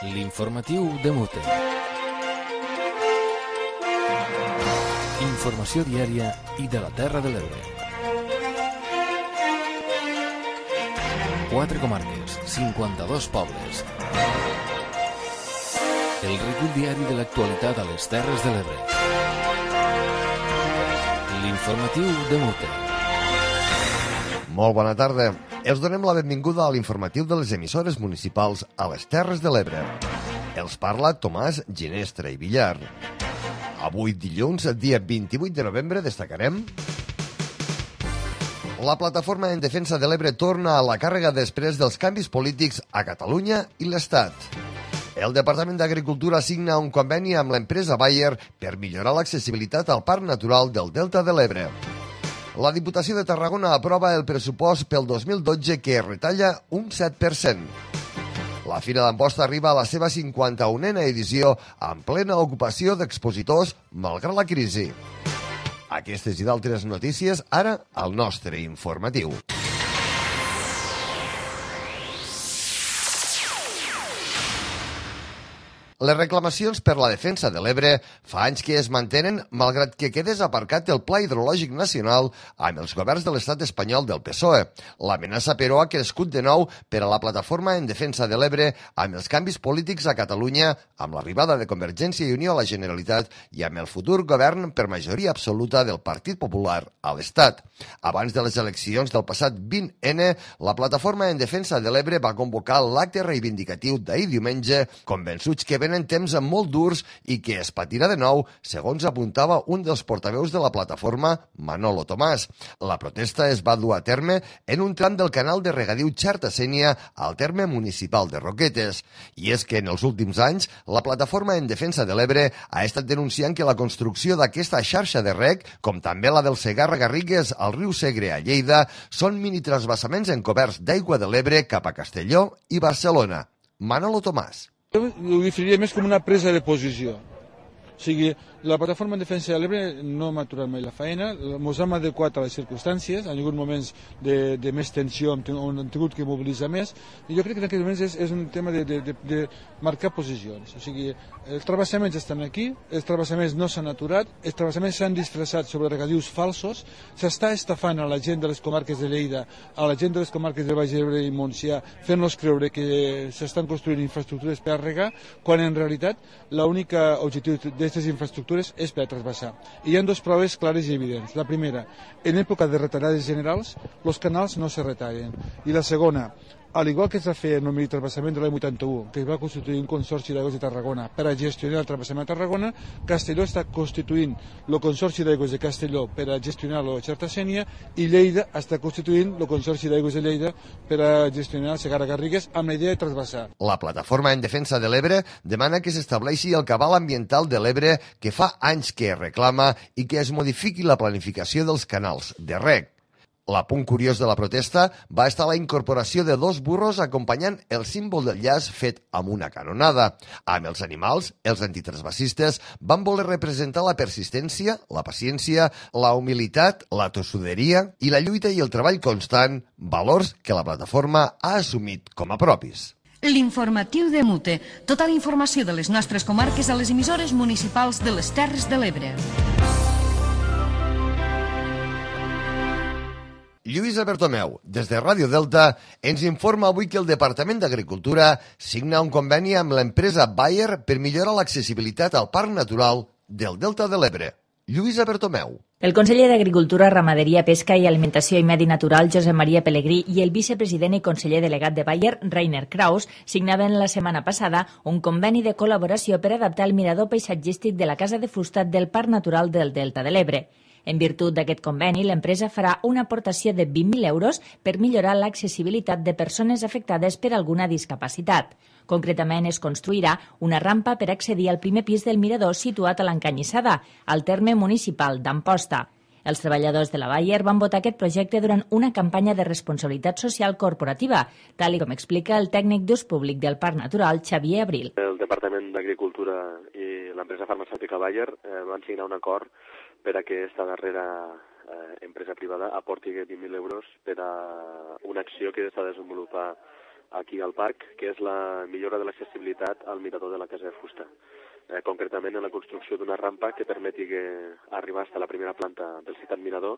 L'informatiu de Mute. Informació diària i de la Terra de l'Ebre. 4 comarques, 52 pobles. El recull diari de l'actualitat a les Terres de l'Ebre. L'informatiu de Mute. Molt bona tarda. Els donem la benvinguda a l'informatiu de les emissores municipals a les Terres de l'Ebre. Els parla Tomàs Ginestra i Villar. Avui dilluns, dia 28 de novembre, destacarem: la plataforma en defensa de l'Ebre torna a la càrrega després dels canvis polítics a Catalunya i l'Estat. El Departament d'Agricultura signa un conveni amb l'empresa Bayer per millorar l'accessibilitat al Parc Natural del Delta de l'Ebre. La Diputació de Tarragona aprova el pressupost pel 2012 que retalla un 7%. La Fira d'Amposta arriba a la seva 51a edició amb plena ocupació d'expositors malgrat la crisi. Aquestes i d'altres notícies ara al nostre informatiu. Les reclamacions per la defensa de l'Ebre fa anys que es mantenen malgrat que quedés aparcat el Pla Hidrològic Nacional amb els governs de l'estat espanyol del PSOE. L'amenaça, però, ha crescut de nou per a la plataforma en defensa de l'Ebre amb els canvis polítics a Catalunya, amb l'arribada de Convergència i Unió a la Generalitat i amb el futur govern per majoria absoluta del Partit Popular a l'Estat. Abans de les eleccions del passat 20N, la plataforma en defensa de l'Ebre va convocar l'acte reivindicatiu d'ahir diumenge, convençuts que venen temps molt durs i que es patirà de nou, segons apuntava un dels portaveus de la plataforma, Manolo Tomàs. La protesta es va dur a terme en un tram del canal de regadiu Xarta-Sénia al terme municipal de Roquetes. I és que en els últims anys, la plataforma en defensa de l'Ebre ha estat denunciant que la construcció d'aquesta xarxa de reg, com també la del Segarra-Garrigues al riu Segre a Lleida, són mini-transvasaments encoberts d'aigua de l'Ebre cap a Castelló i Barcelona. Manolo Tomàs. Jo ho definiria més com una presa de posició. O sigui, la plataforma en defensa de l'Ebre no m'ha aturat mai la feina, ens hem adequat a les circumstàncies, han hagut moments de més tensió on hem tingut que mobilitzar més, i jo crec que en aquests moments és un tema de marcar posicions. O sigui, els travessaments estan aquí, els travessaments no s'han aturat, els travessaments s'han disfressat sobre regadius falsos, s'està estafant a la gent de les comarques de Lleida, a la gent de les comarques de Baix Ebre i Montsià, fent-los creure que s'estan construint infraestructures per a regar, quan en realitat l'únic objectiu d'aquestes infraestructures és per a trasbassar. I hi ha dues proves clares i evidents. La primera, en època de retallades generals, els canals no se retallen. I la segona, al igual que es va fer en el mini-trasbassament de l'any 81, que es va constituir un consorci d'aigües de Tarragona per a gestionar el trasbassament de Tarragona, Castelló està constituint el consorci d'aigües de Castelló per a gestionar-lo a Xarta-Sénia i Lleida està constituint el consorci d'aigües de Lleida per a gestionar el Segarra-Garrigues amb la idea de trasbassar. La plataforma en defensa de l'Ebre demana que s'estableixi el cabal ambiental de l'Ebre que fa anys que es reclama i que es modifiqui la planificació dels canals de reg. L'apunt curiós de la protesta va estar la incorporació de 2 burros acompanyant el símbol del llaç fet amb una canonada. Amb els animals, els antitransvasistes van voler representar la persistència, la paciència, la humilitat, la tossuderia i la lluita i el treball constant, valors que la plataforma ha assumit com a propis. L'informatiu de Mute. Tota la informació de les nostres comarques a les emissores municipals de les Terres de l'Ebre. Lluïsa Bertomeu, des de Ràdio Delta, ens informa avui que el Departament d'Agricultura signa un conveni amb l'empresa Bayer per millorar l'accessibilitat al Parc Natural del Delta de l'Ebre. Lluïsa Bertomeu. El conseller d'Agricultura, Ramaderia, Pesca i Alimentació i Medi Natural, Josep Maria Pelegrí, i el vicepresident i conseller delegat de Bayer, Rainer Kraus, signaven la setmana passada un conveni de col·laboració per adaptar el mirador paisatgístic de la Casa de Fusta del Parc Natural del Delta de l'Ebre. En virtut d'aquest conveni, l'empresa farà una aportació de 20.000 euros per millorar l'accessibilitat de persones afectades per alguna discapacitat. Concretament, es construirà una rampa per accedir al primer pis del mirador situat a l'Encanyissada, al terme municipal d'Amposta. Els treballadors de la Bayer van votar aquest projecte durant una campanya de responsabilitat social corporativa, tal com explica el tècnic d'ús públic del Parc Natural, Xavier Abril. El Departament d'Agricultura i l'empresa farmacèutica Bayer van signar un acord per a que aquesta darrera empresa privada aporti 20.000 euros per a una acció que s'ha de desenvolupar aquí al parc, que és la millora de l'accessibilitat al mirador de la Casa de Fusta. Concretament en la construcció d'una rampa que permeti arribar fins a la primera planta del citat mirador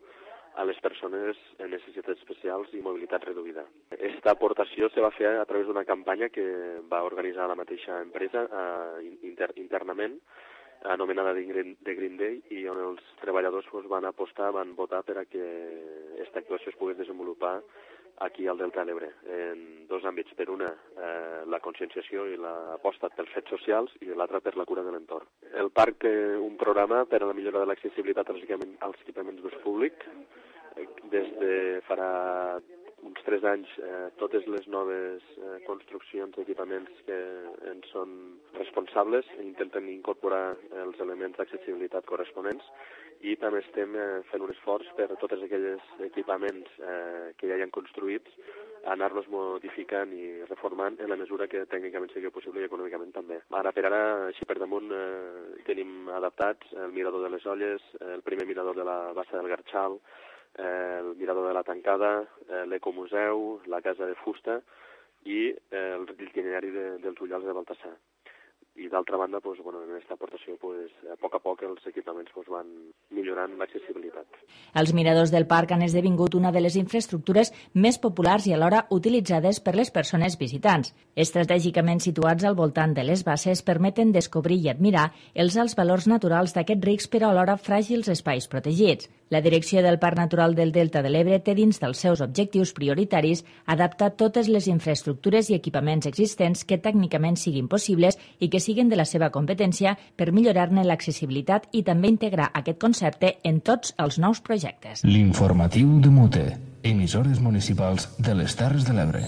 a les persones amb necessitats especials i mobilitat reduïda. Aquesta aportació se va fer a través d'una campanya que va organitzar la mateixa empresa internament, anomenada de Green Day, i on els treballadors van apostar, van votar per a que aquesta actuació es pogués desenvolupar aquí al Delta de l'Ebre, en dos àmbits. Per una, la conscienciació i l'aposta pels fets socials, i l'altra per la cura de l'entorn. El parc té un programa per a la millora de l'accessibilitat als equipaments d'ús públic. Des de farà uns 3 anys, totes les noves construccions d'equipaments que en són responsables intenten incorporar els elements d'accessibilitat corresponents, i també estem fent un esforç per tots aquells equipaments que ja hi han construïts, anar-los modificant i reformant en la mesura que tècnicament sigui possible i econòmicament també. Ara per ara, així per damunt, tenim adaptats el mirador de les Olles, el primer mirador de la Bassa del Garxal, el mirador de la Tancada, l'Ecomuseu, la Casa de Fusta i l'itinerari dels Ullals de Baltasar. I d'altra banda, en aquesta aportació, a poc els equipaments van millorant l'accessibilitat. Els miradors del parc han esdevingut una de les infraestructures més populars i alhora utilitzades per les persones visitants. Estratègicament situats al voltant de les basses permeten descobrir i admirar els alts valors naturals d'aquests rics però alhora fràgils espais protegits. La direcció del Parc Natural del Delta de l'Ebre té dins dels seus objectius prioritaris adaptar totes les infraestructures i equipaments existents que tècnicament siguin possibles i que siguin de la seva competència per millorar-ne l'accessibilitat i també integrar aquest concepte en tots els nous projectes. L'informatiu de Mute, emissores municipals de les Terres de l'Ebre.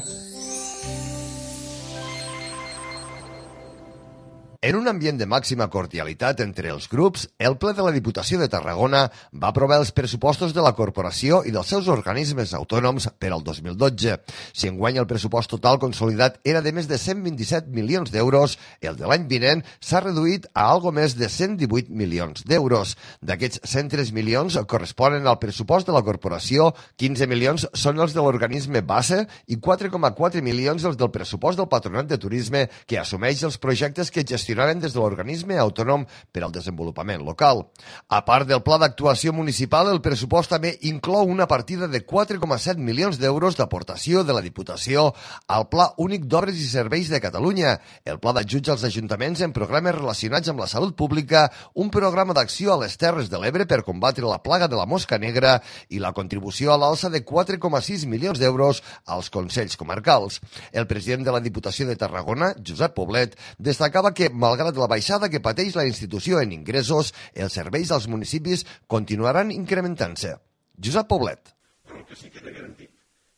En un ambient de màxima cordialitat entre els grups, el ple de la Diputació de Tarragona va aprovar els pressupostos de la corporació i dels seus organismes autònoms per al 2012. Si enguany el pressupost total consolidat era de més de 127 milions d'euros, el de l'any vinent s'ha reduït a algo més de 118 milions d'euros. D'aquests 103 milions corresponen al pressupost de la corporació, 15 milions són els de l'organisme base i 4,4 milions els del pressupost del Patronat de Turisme, que assumeix els projectes que gestionaran des de l'organisme autònom per al desenvolupament local. A part del pla d'actuació municipal, el pressupost també inclou una partida de 4,7 milions d'euros d'aportació de la Diputació al Pla Únic d'Obres i Serveis de Catalunya, el pla d'ajuts als ajuntaments en programes relacionats amb la salut pública, un programa d'acció a les Terres de l'Ebre per combatre la plaga de la mosca negra i la contribució a l'alça de 4,6 milions d'euros als consells comarcals. El president de la Diputació de Tarragona, Josep Poblet, destacava que malgrat la baixada que pateix la institució en ingressos, els serveis als municipis continuaran incrementant-se. Josep Poblet. Però el que sí que queda garantit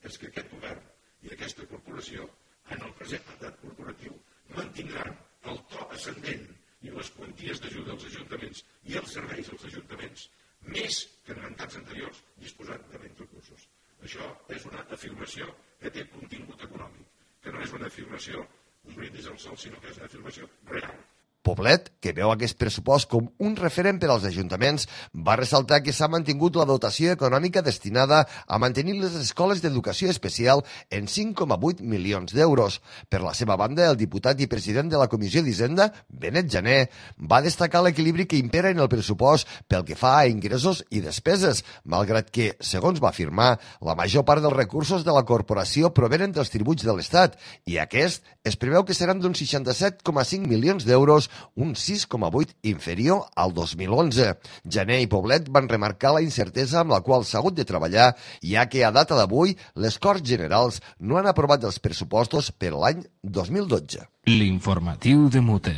és que aquest govern i aquesta corporació, en el present mandat corporatiu, mantindran el to ascendent i les quanties d'ajuda als ajuntaments i els serveis als ajuntaments més que en mandats anteriors disposant de menys recursos. Això és una afirmació que té contingut econòmic, que no és una afirmació un brindis al sol, sinó que és una afirmació real. Poblet, que veu aquest pressupost com un referent per als ajuntaments, va ressaltar que s'ha mantingut la dotació econòmica destinada a mantenir les escoles d'educació especial en 5,8 milions d'euros. Per la seva banda, el diputat i president de la Comissió d'Hisenda, Benet Jané, va destacar l'equilibri que impera en el pressupost pel que fa a ingressos i despeses, malgrat que, segons va afirmar, la major part dels recursos de la corporació provenen dels tributs de l'Estat i aquest es preveu que seran d'uns 67,5 milions d'euros, un 6,8 inferior al 2011. Jané i Poblet van remarcar la incertesa amb la qual s'ha hagut de treballar, ja que a data d'avui les Corts Generals no han aprovat els pressupostos per l'any 2012. L'informatiu de Mute.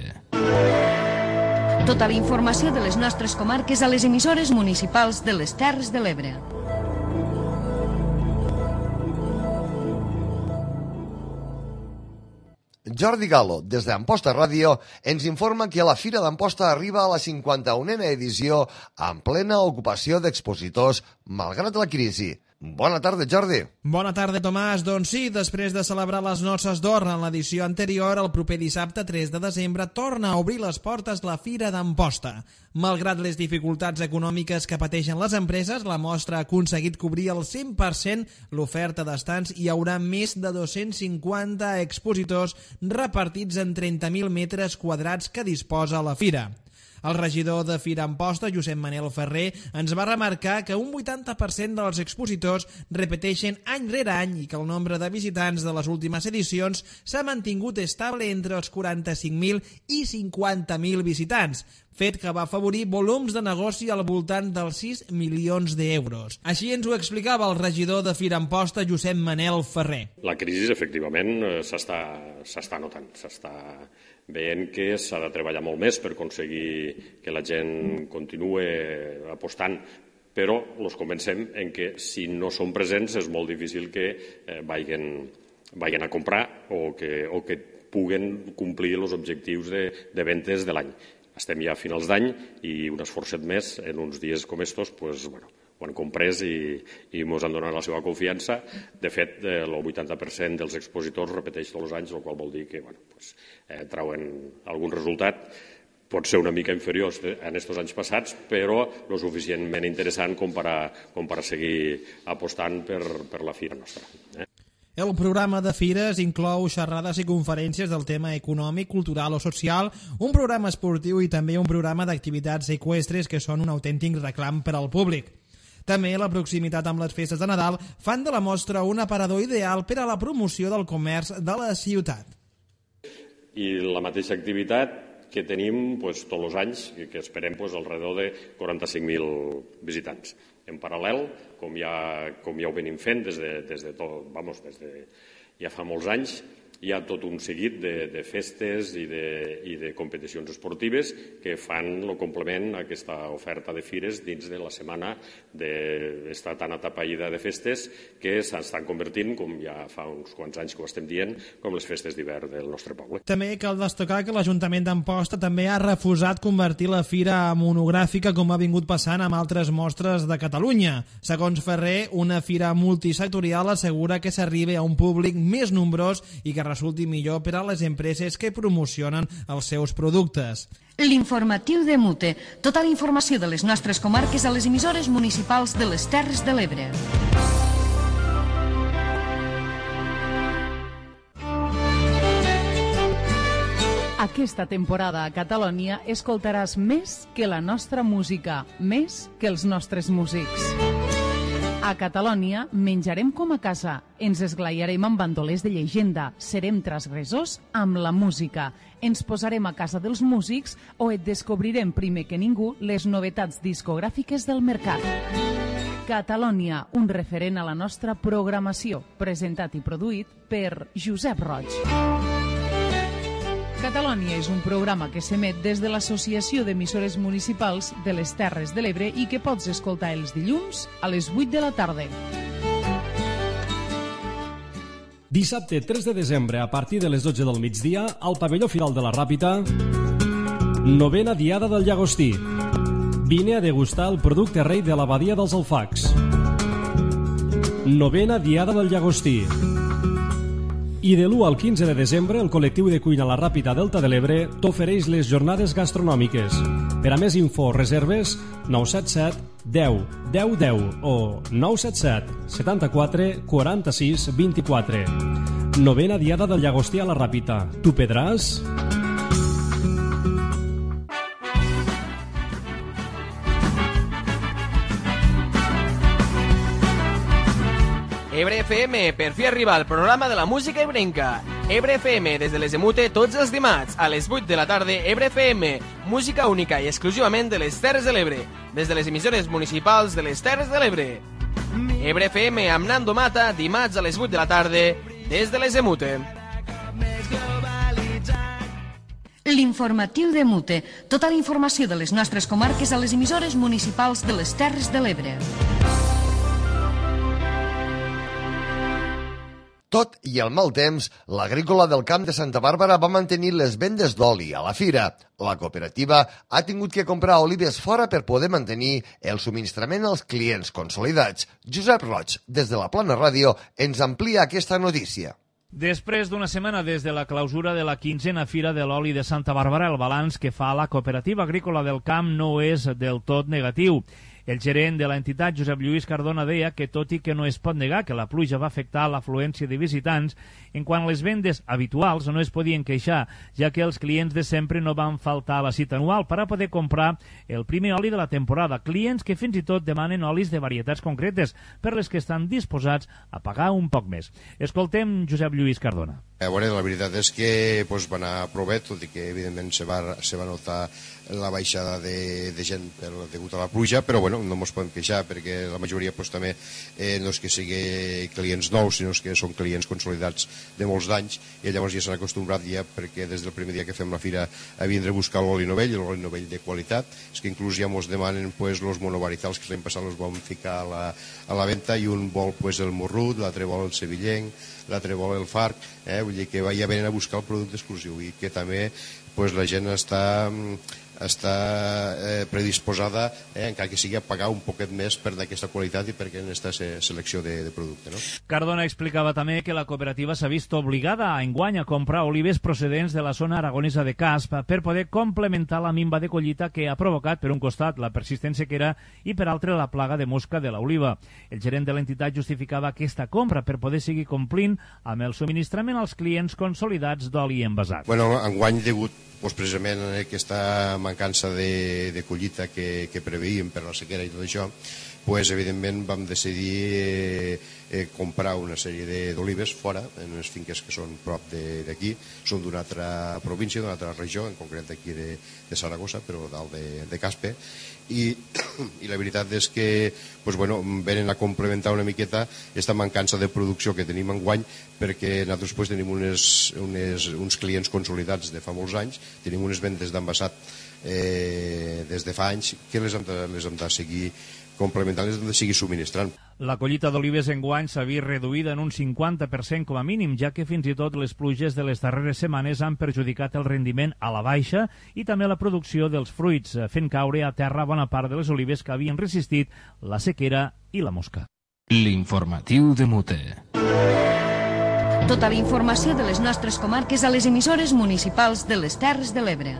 Tota la informació de les nostres comarques a les emissores municipals de les Terres de l'Ebre. Jordi Galo, des d'Amposta Ràdio, ens informa que la Fira d'Amposta arriba a la 51a edició en plena ocupació d'expositors malgrat la crisi. Bona tarda, Jordi. Bona tarda, Tomàs. Doncs sí, després de celebrar les noces d'or en l'edició anterior, el proper dissabte 3 de desembre torna a obrir les portes la Fira d'Amposta. Malgrat les dificultats econòmiques que pateixen les empreses, la mostra ha aconseguit cobrir el 100% l'oferta d'estants i hi haurà més de 250 expositors repartits en 30.000 metres quadrats que disposa la fira. El regidor de Fira Amposta, Josep Manel Ferrer, ens va remarcar que un 80% dels expositors repeteixen any rere any i que el nombre de visitants de les últimes edicions s'ha mantingut estable entre els 45.000 i 50.000 visitants, fet que va afavorir volums de negoci al voltant dels 6 milions d'euros. Així ens ho explicava el regidor de Fira Amposta, Josep Manel Ferrer. La crisi, efectivament, s'està notant, s'està veient que s'ha de treballar molt més per aconseguir que la gent continue apostant, però els convencem en que si no són presents és molt difícil que vagin a comprar o que puguen complir els objectius de ventes de l'any. Estem ja a finals d'any i un esforçat més en uns dies com estos, ho han comprès i ens han donat la seva confiança. De fet, el 80% dels expositors repeteix tots els anys, el qual vol dir que trauen algun resultat. Pot ser una mica inferior en aquests anys passats, però lo suficientment interessant com per a seguir apostant per la fira nostra. El programa de fires inclou xerrades i conferències del tema econòmic, cultural o social, un programa esportiu i també un programa d'activitats eqüestres que són un autèntic reclam per al públic. També la proximitat amb les festes de Nadal fan de la mostra un aparador ideal per a la promoció del comerç de la ciutat. I la mateixa activitat que tenim tots els anys, que esperem alrededor de 45.000 visitants. En paral·lel, com ja ho venim fent des de ja fa molts anys, hi ha tot un seguit de festes i de competicions esportives que fan el complement a aquesta oferta de fires dins de la setmana d'estar tan atapeïda de festes que s'estan convertint, com ja fa uns quants anys que ho estem dient, com les festes d'hivern del nostre poble. També cal destacar que l'Ajuntament d'Amposta també ha refusat convertir la fira monogràfica com ha vingut passant amb altres mostres de Catalunya. Segons Ferrer, una fira multisectorial assegura que s'arriba a un públic més nombrós i que resulti millor per a les empreses que promocionen els seus productes. L'informatiu de Mute. Tota la informació de les nostres comarques a les emissores municipals de les Terres de l'Ebre. Aquesta temporada a Catalònia escoltaràs més que la nostra música, més que els nostres músics. A Catalònia menjarem com a casa, ens esglaiarem amb bandolers de llegenda, serem transgressors amb la música, ens posarem a casa dels músics o et descobrirem primer que ningú les novetats discogràfiques del mercat. Catalònia, un referent a la nostra programació, presentat i produït per Josep Roig. Catalònia és un programa que s'emet des de l'Associació d'Emissores Municipals de les Terres de l'Ebre i que pots escoltar els dilluns a les 8 de la tarda. Dissabte 3 de desembre, a partir de les 12 del migdia, al pavelló Firal de la Ràpita, 9a Diada del Llagostí. Vine a degustar el producte rei de l'abadia dels Alfacs. 9a Diada del Llagostí. I de l'1 al 15 de desembre, el col·lectiu de cuina La Ràpita Delta de l'Ebre t'ofereix les jornades gastronòmiques. Per a més info o reserves, 977 10 10 10 o 977 74 46 24. 9a Diada del Llagostí a La Ràpita. Tu pedràs? Ebre FM, per fi arriba al programa de la música ebrenca. Ebre FM, des de les de Mute, tots els dimarts, a les 8 de la tarda, Ebre FM, música única i exclusivament de les Terres de l'Ebre, des de les emissores municipals de les Terres de l'Ebre. Ebre FM amb Nando Mata, dimarts a les 8 de la tarda, des de les de Mute. L'informatiu de Mute. Tota la informació de les nostres comarques a les emissores municipals de les Terres de l'Ebre. Tot i el mal temps, l'agrícola del Camp de Santa Bàrbara va mantenir les vendes d'oli a la fira. La cooperativa ha tingut que comprar olives fora per poder mantenir el subministrament als clients consolidats. Josep Roig, des de la Plana Ràdio, ens amplia aquesta notícia. Després d'una setmana des de la clausura de la 15a Fira de l'Oli de Santa Bàrbara, el balanç que fa la Cooperativa Agrícola del Camp no és del tot negatiu. El gerent de l'entitat, Josep Lluís Cardona, deia que, tot i que no es pot negar que la pluja va afectar l'afluència de visitants, en quant a les vendes habituals no es podien queixar, ja que els clients de sempre no van faltar a la cita anual per a poder comprar el primer oli de la temporada. Clients que fins i tot demanen olis de varietats concretes, per les que estan disposats a pagar un poc més. Escoltem Josep Lluís Cardona. La veritat és que va anar prou bé, tot i que evidentment se va notar la baixada de gent degut a la pluja, però no ens podem queixar perquè la majoria també no és que sigui clients nous, sinó que són clients consolidats de molts d'anys i llavors ja s'han acostumbrat ja perquè des del primer dia que fem la fira a vindre a buscar l'oli novell, l'oli novell de qualitat. És que inclús ja ens demanen els monovaritals que l'any passat els vam ficar a la venda i un vol el morrut, l'altre vol el sevillenc, l'altre vol el farc, vull dir que ja venen a buscar el producte exclusiu i que també la gent està predisposada, encara que sigui a pagar un poquet més per d'aquesta qualitat i perquè en aquesta selecció de producte. Cardona explicava també que la cooperativa s'ha vist obligada enguany a comprar olives procedents de la zona aragonesa de Casp per poder complementar la minva de collita que ha provocat, per un costat, la persistent sequera i, per altre, la plaga de mosca de l'oliva. El gerent de l'entitat justificava aquesta compra per poder seguir complint amb el subministrament als clients consolidats d'oli envasat. Enguany, degut precisament a aquesta mancança de collita que preveíem per la sequera i tot això, evidentment vam decidir comprar una sèrie d'olives fora, en unes finques que són prop d'aquí, són d'una altra província, d'una altra regió, en concret d'aquí de Saragossa, però dalt de Caspe, i la veritat és que venen a complementar una miqueta aquesta mancança de producció que tenim enguany, perquè nosaltres tenim uns clients consolidats de fa molts anys, tenim unes vendes d'envasat des de fa anys que les hem de seguir complementant, les hem de seguir subministrant. La collita d'olives enguany s'ha vist reduïda en un 50% com a mínim, ja que fins i tot les pluges de les darreres setmanes han perjudicat el rendiment a la baixa i també la producció dels fruits, fent caure a terra bona part de les olives que havien resistit la sequera i la mosca. L'informatiu de Mute. Tota la informació de les nostres comarques a les emissores municipals de les Terres de l'Ebre.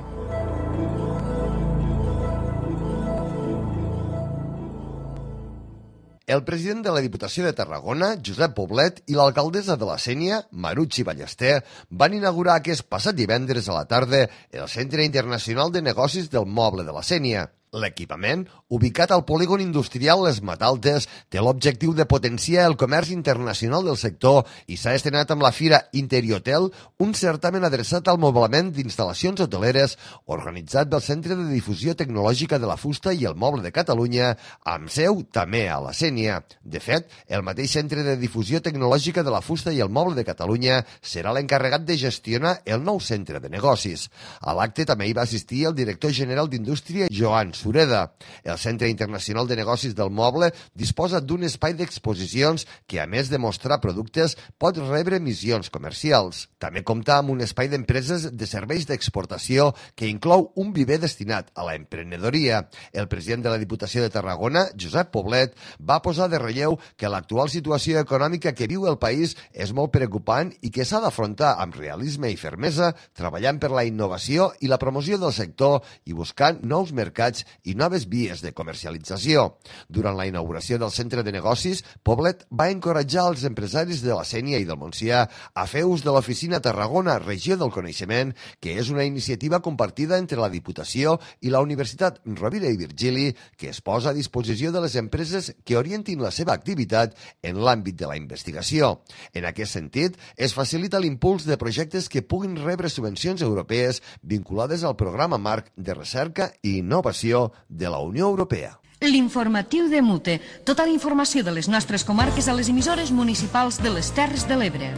El president de la Diputació de Tarragona, Josep Poblet, i l'alcaldessa de la Sénia, Marutxi Ballester, van inaugurar aquest passat divendres a la tarda el Centre Internacional de Negocis del Moble de la Sénia. L'equipament, ubicat al polígon industrial Les Mataltes, té l'objectiu de potenciar el comerç internacional del sector i s'ha estrenat amb la Fira Interiotel, un certamen adreçat al moblament d'instal·lacions hoteleres organitzat pel Centre de Difusió Tecnològica de la Fusta i el Moble de Catalunya, amb seu també a la Sénia. De fet, el mateix Centre de Difusió Tecnològica de la Fusta i el Moble de Catalunya serà l'encarregat de gestionar el nou centre de negocis. A l'acte també hi va assistir el director general d'Indústria, Joan Sureda. El Centre Internacional de Negocis del Moble disposa d'un espai d'exposicions que, a més de mostrar productes, pot rebre missions comercials. També compta amb un espai d'empreses de serveis d'exportació que inclou un viver destinat a la emprenedoria. El president de la Diputació de Tarragona, Josep Poblet, va posar de relleu que l'actual situació econòmica que viu el país és molt preocupant i que s'ha d'afrontar amb realisme i fermesa, treballant per la innovació i la promoció del sector i buscant nous mercats i noves vies de comercialització. Durant la inauguració del centre de negocis, Poblet va encoratjar els empresaris de la Sénia i del Montsià a fer ús de l'oficina Tarragona Regió del Coneixement, que és una iniciativa compartida entre la Diputació i la Universitat Rovira i Virgili, que es posa a disposició de les empreses que orientin la seva activitat en l'àmbit de la investigació. En aquest sentit, es facilita l'impuls de projectes que puguin rebre subvencions europees vinculades al programa marc de recerca i innovació de la Unió Europea. L'informatiu de Mute. Tota la informació de les nostres comarques a les emissores municipals de les Terres de l'Ebre.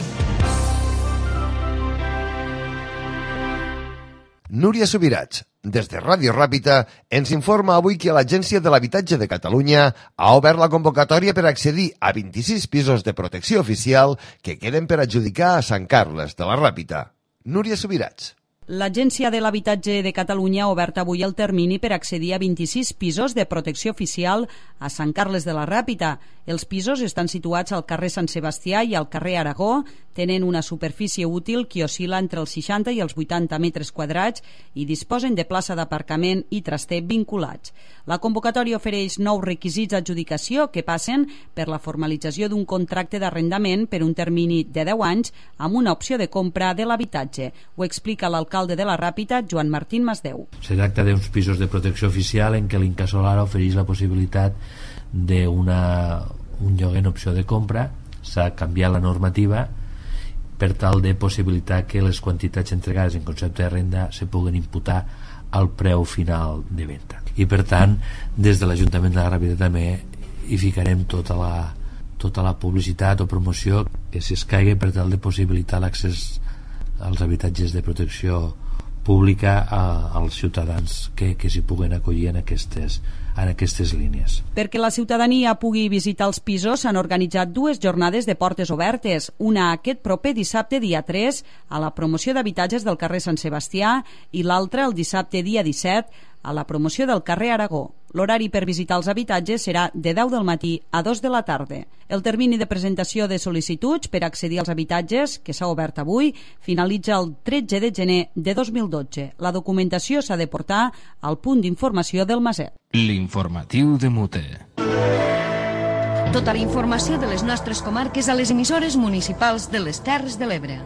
Núria Subirats, des de Ràdio Ràpita, ens informa avui que l'Agència de l'Habitatge de Catalunya ha obert la convocatòria per accedir a 26 pisos de protecció oficial que queden per adjudicar a Sant Carles de la Ràpita. Núria Subirats. L'Agència de l'Habitatge de Catalunya ha obert avui el termini per accedir a 26 pisos de protecció oficial a Sant Carles de la Ràpita. Els pisos estan situats al carrer Sant Sebastià i al carrer Aragó, tenen una superfície útil que oscil·la entre els 60 i els 80 metres quadrats i disposen de plaça d'aparcament i traster vinculats. La convocatòria ofereix nous requisits d'adjudicació que passen per la formalització d'un contracte d'arrendament per un termini de 10 anys amb una opció de compra de l'habitatge. Ho explica l'alcalde de la Ràpita, Joan Martín Masdeu. Se tracta d'uns pisos de protecció oficial en què l'Incasolar ofereix la possibilitat d'un lloguer en opció de compra. S'ha canviat la normativa per tal de possibilitar que les quantitats entregades en concepte de renda se puguen imputar al preu final de venda. I per tant, des de l'Ajuntament de la Ràpita també hi ficarem tota la publicitat o promoció que s'escaigui per tal de possibilitar l'accés als habitatges de protecció pública als ciutadans que s'hi puguen acollir en aquestes línies. Perquè la ciutadania pugui visitar els pisos s'han organitzat 2 jornades de portes obertes, una aquest proper dissabte dia 3 a la promoció d'habitatges del carrer Sant Sebastià i l'altra el dissabte dia 17 a la promoció del carrer Aragó. L'horari per visitar els habitatges serà de 10 del matí a 2 de la tarda. El termini de presentació de sol·licituds per accedir als habitatges, que s'ha obert avui, finalitza el 13 de gener de 2012. La documentació s'ha de portar al punt d'informació del Maset. L'informatiu de Mute. Tota la informació de les nostres comarques a les emissores municipals de les Terres de l'Ebre.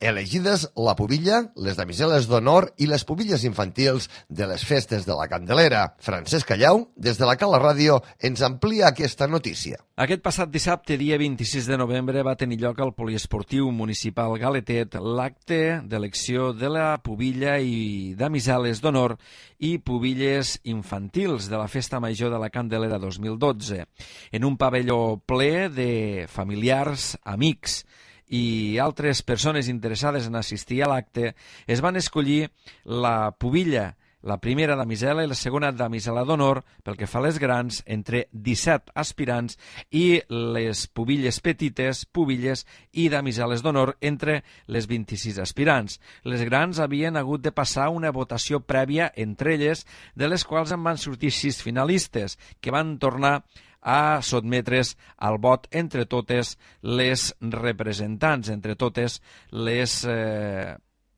Elegides la pubilla, les damiseles d'honor i les pubilles infantils de les festes de la Candelera. Francesc Callau, des de la Cala Ràdio, ens amplia aquesta notícia. Aquest passat dissabte, dia 26 de novembre, va tenir lloc al Poliesportiu Municipal Galetet l'acte d'elecció de la pubilla i damiseles d'honor i pubilles infantils de la Festa Major de la Candelera 2012, en un pavelló ple de familiars, amics i altres persones interessades en assistir a l'acte. Es van escollir la pubilla, la primera damisela i la segona damisela d'honor, pel que fa a les grans, entre 17 aspirants, i les pubilles petites, pubilles i damiseles d'honor entre les 26 aspirants. Les grans havien hagut de passar una votació prèvia entre elles, de les quals en van sortir 6 finalistes, que van tornar a sotmetre's al vot entre totes les representants, entre totes les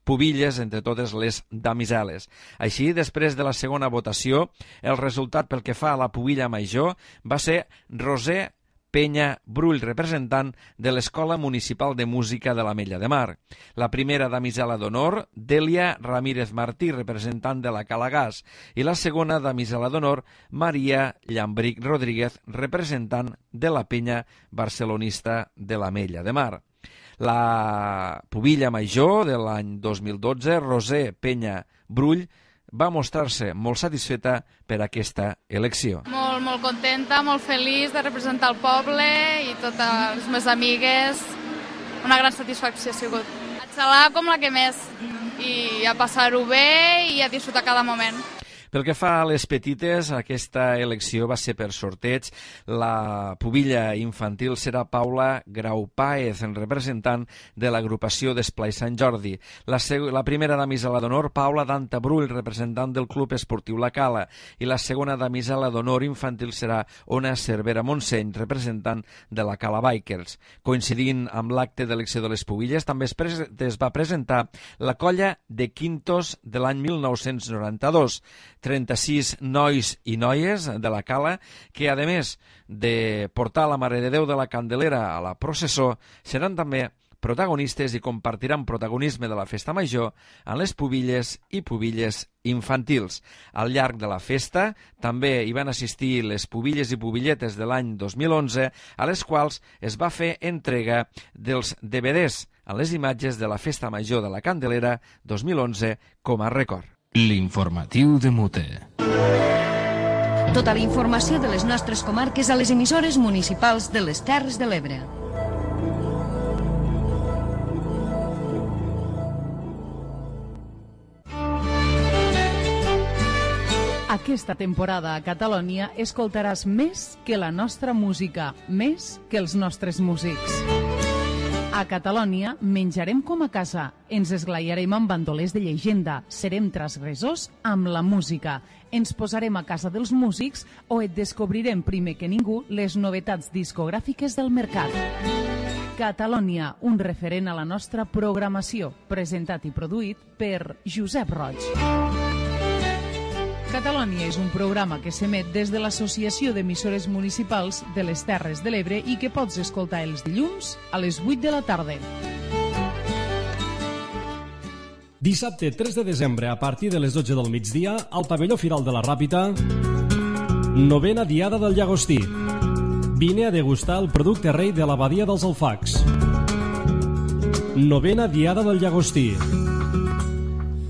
pubilles, entre totes les damiseles. Així, després de la segona votació, el resultat pel que fa a la pubilla major va ser Roser Penya Brull, representant de l'Escola Municipal de Música de l'Ametlla de Mar. La primera damisela d'honor, Dèlia Ramírez Martí, representant de la Calagàs, i la segona damisela d'honor, Maria Llambric Rodríguez, representant de la penya barcelonista de l'Ametlla de Mar. La pubilla major de l'any 2012, Roser Penya Brull, va mostrar-se molt satisfeta per aquesta elecció. Molt contenta, molt feliç de representar el poble i totes les meves amigues. Una gran satisfacció ha sigut. A xalar com la que més i a passar-ho bé i a disfrutar cada moment. Pel que fa a les petites, aquesta elecció va ser per sorteig. La pubilla infantil serà Paula Grau Páez, representant de l'agrupació d'Esplai Sant Jordi. La primera damisela d'honor, Paula Danta Brull, representant del Club Esportiu La Cala. I la segona damisela d'honor infantil serà Ona Cervera Montseny, representant de la Cala Bikers. Coincidint amb l'acte d'elecció de les pubilles, també es va presentar la colla de Quintos de l'any 1992. 36 nois i noies de la Cala que, a més de portar la Mare de Déu de la Candelera a la processó, seran també protagonistes i compartiran protagonisme de la festa major en les pubilles i pubilles infantils. Al llarg de la festa també hi van assistir les pubilles i pubilletes de l'any 2011, a les quals es va fer entrega dels DVDs a les imatges de la festa major de la Candelera 2011 com a record. L'informatiu de Mute. Tota la informació de les nostres comarques a les emissores municipals de les Terres de l'Ebre. Aquesta temporada a Catalònia escoltaràs més que la nostra música, més que els nostres músics. A Catalònia menjarem com a casa, ens esglaiarem amb bandolers de llegenda, serem transgressors amb la música, ens posarem a casa dels músics o et descobrirem primer que ningú les novetats discogràfiques del mercat. Catalònia, un referent a la nostra programació, presentat i produït per Josep Roig. Catalònia és un programa que s'emet des de l'Associació d'Emissores Municipals de les Terres de l'Ebre i que pots escoltar els dilluns a les 8 de la tarda. Dissabte 3 de desembre, a partir de les 12 del migdia, al pavelló Firal de la Ràpita, 9a Diada del Llagostí. Vine a degustar el producte rei de l'abadia dels Alfacs. 9a Diada del Llagostí.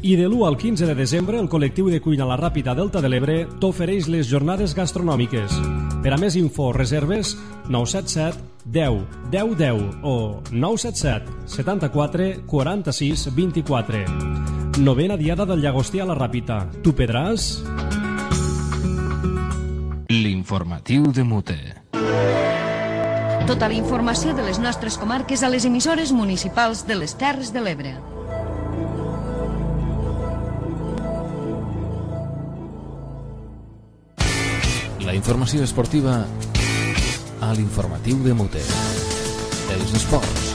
I de l'1 al 15 de desembre, el col·lectiu de cuina La Ràpita Delta de l'Ebre t'ofereix les jornades gastronòmiques. Per a més info o reserves, 977 10 10 10 o 977 74 46 24. 9a Diada del Llagostí a La Ràpita. Tu pedràs? L'informatiu de Mute. Tota la informació de les nostres comarques a les emissores municipals de les Terres de l'Ebre. La informació esportiva a l'informatiu de Mute. Els esports.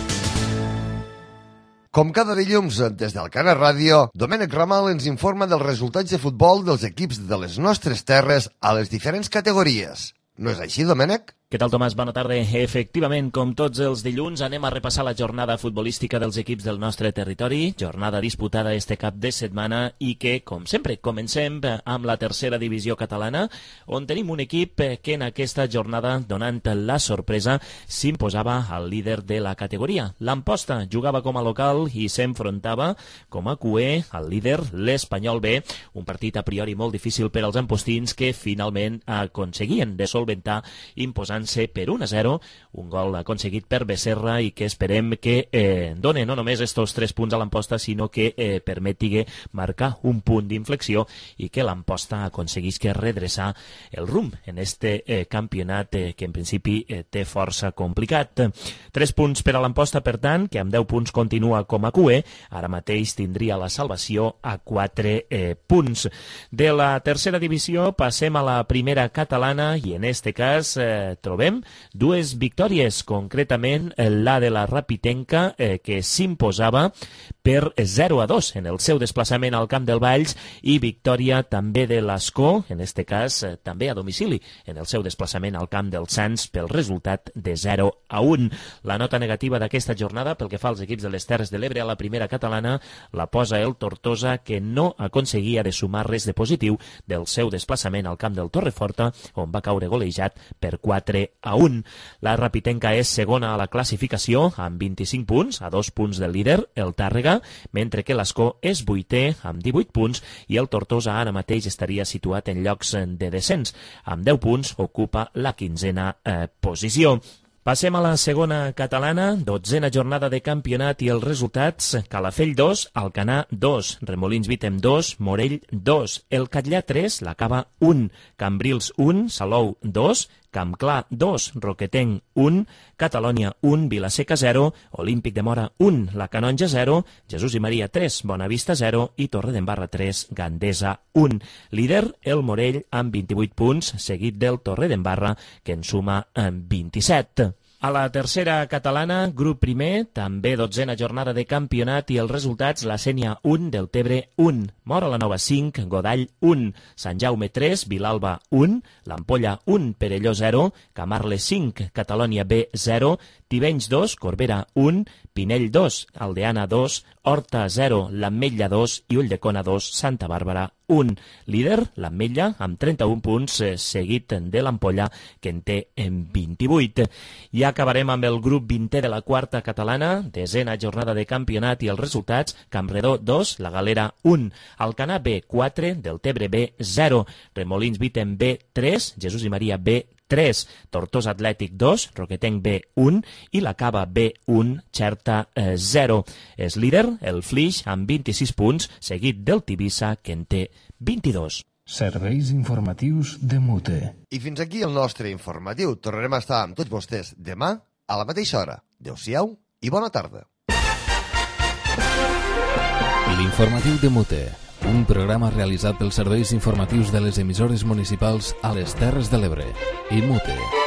Com cada dilluns, des del Canal Ràdio, Domènec Ramal ens informa dels resultats de futbol dels equips de les nostres terres a les diferents categories. No és així, Domènec? Què tal, Tomàs? Bona tarda. Efectivament, com tots els dilluns, anem a repassar la jornada futbolística dels equips del nostre territori, jornada disputada este cap de setmana i que, com sempre, comencem amb la tercera divisió catalana, on tenim un equip que en aquesta jornada, donant la sorpresa, s'imposava al líder de la categoria. L'Amposta jugava com a local i s'enfrontava com a cuer al líder, l'Espanyol B, un partit a priori molt difícil per als ampostins que finalment aconseguien de solventar imposant per 1-0, un gol aconseguit per Becerra i que esperem que doni no només estos 3 punts a l'Amposta, sinó que permeti marcar un punt d'inflexió i que l'Amposta aconseguisca redreçar el rumb en este campionat que en principi té força complicat. 3 punts per a l'Amposta, per tant, que amb 10 punts continua com a cuer, ara mateix tindria la salvació a 4 punts. De la tercera divisió passem a la primera catalana i en este cas trobem 2 victòries, concretament la de la Rapitenca, que s'imposava per 0-2 en el seu desplaçament al Camp del Valls, i victòria també de l'Escó, en este cas també a domicili, en el seu desplaçament al Camp dels Sants pel resultat de 0-1. La nota negativa d'aquesta jornada pel que fa als equips de les Terres de l'Ebre a la primera catalana la posa el Tortosa, que no aconseguia de sumar res de positiu del seu desplaçament al Camp del Torreforta, on va caure golejat per 4-1. La Rapitenca és segona a la classificació amb 25 punts, a 2 punts del líder, el Tàrrega, mentre que l'Escó és 8è amb 18 punts i el Tortosa ara mateix estaria situat en llocs de descens. Amb 10 punts ocupa la 15a posició. Passem a la segona catalana, 12a jornada de campionat i els resultats: Calafell 2, Alcanar 2, Remolins Vítem 2, Morell 2, el Catllà 3, la Cava 1, Cambrils 1, Salou 2, Campclar 2, Roquetenc 1, Catalònia 1, Vilaseca 0, Olímpic de Mora 1, La Canonja 0, Jesús i Maria 3, Bonavista 0 i Torredembarra 3, Gandesa 1. Líder, el Morell, amb 28 punts, seguit del Torredembarra, que en suma 27. A la tercera catalana, grup primer, també 12a jornada de campionat i els resultats: la Sénia 1, Deltebre 1, Móra la Nova 5, Godall 1, Sant Jaume 3, Vilalba 1, l'Ampolla 1, Perelló 0, Camarles 5, Catalònia B 0, Tivenys 2, Corbera 1, Pinell 2, Aldeana 2, Horta 0, l'Ametlla 2 i Ulldecona 2, Santa Bàrbara 1. Líder, l'Ametlla, amb 31 punts, seguit de l'Ampolla, que en té 28. I acabarem amb el grup 20è de la quarta catalana, 10a jornada de campionat i els resultats: Campredó 2, La Galera 1, Alcanar B 4, Deltebre B 0, Remolins Vítem B 3, Jesús i Maria B 3, Tortosa Atlètic 2, Roquetenc B 1 i la Cava B 1, Xerta 0. És líder el Flix amb 26 punts, seguit del Tivissa, que en té 22. Serveis informatius de Mute. I fins aquí el nostre informatiu. Tornarem a estar amb tots vostès demà a la mateixa hora. Adéu-siau i bona tarda. L'informatiu de Mute, un programa realitzat pels serveis informatius de les emissores municipals a les Terres de l'Ebre i Mute.